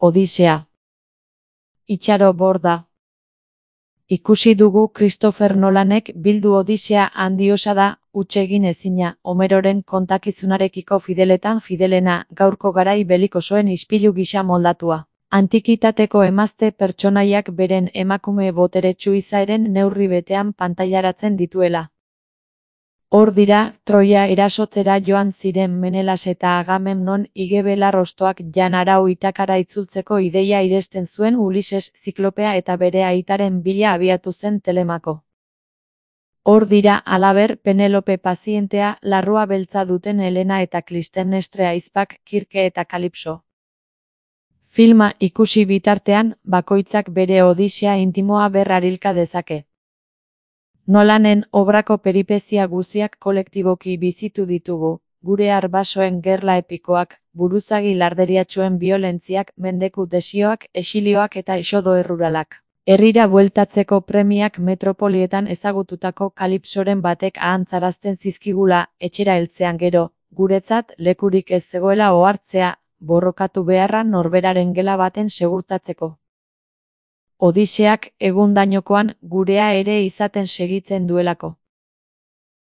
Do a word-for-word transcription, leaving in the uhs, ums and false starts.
Odisea. Itxaro borda. Ikusi dugu Christopher Nolanek bildu Odisea handiosa da, huts egin ezina, Homeroren kontakizunarekiko fideletan fidelena, gaurko garai belikosoen ispilu gisa moldatua. Antikitateko emazte pertsonaiak beren emakume boteretsu izaeren neurri betean pantailaratzen dituela. Hor dira, Troia erasotzera joan ziren Menelas eta Agamemnon igebelar hostoak Jan Arau Itakara itzultzeko ideia iresten zuen Ulises Ziklopea eta bere aitaren bila abiatu zen Telemako. Hor dira, halaber, Penelope pazientea, larrua beltza duten Helena eta Clitemnestre ahizpak, Kirke eta Kalipso. Filma ikusi bitartean, bakoitzak bere odisea intimoa berrarilka dezake. Nolanen obrako peripezia guziak kolektiboki bizitu ditugu, gure arbasoen gerla epikoak, buruzagi larderiatsuen biolentziak, mendeku desioak, esilioak eta esodo erruralak. Herrira bueltatzeko premiak metropolietan ezagututako Kalipsoren batek ahantzarazten zizkigula, etxera heltzean gero, guretzat lekurik ez zegoela ohartzea, borrokatu beharra norberaren gela baten segurtatzeko. Odiseak egundainokoan gurea ere izaten segitzen duelako.